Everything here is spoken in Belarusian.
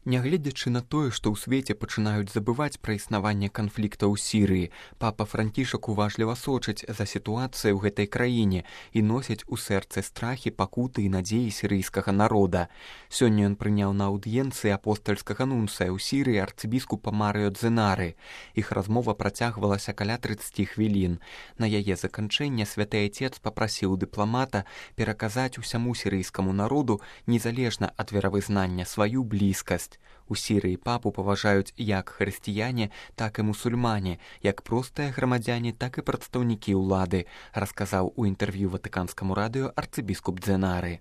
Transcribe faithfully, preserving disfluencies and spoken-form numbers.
Нягледзячы на тое, што ў свеце пачынаюць забываць пра існаванне канфлікта ў Сірыі, папа Францішак уважліва сочыць за сітуацыяй у гэтай краіне і носіць у сэрцы страхі, пакуты і надзеі сірыйскага народа. Сёння ён прыняў на аўдыенцыі апостальскага нунцыя ў Сірыі арцыбіскупа Марыё Дзенары. Іх размова працягвалася каля трыццаці хвілін. На яе заканчэнне святы айцец папрасіў дыпламата пераказаць усяму сірыйскаму народу, незалежна ад веравызнання, сваю блізкасць. У Сірыі папу паважаюць як хрысціяне, так і мусульмане, як простыя грамадзяне, так і прадстаўнікі ўлады, расказаў у інтэрв'ю ватыканскаму радыё арцыбіскуп Дзенары.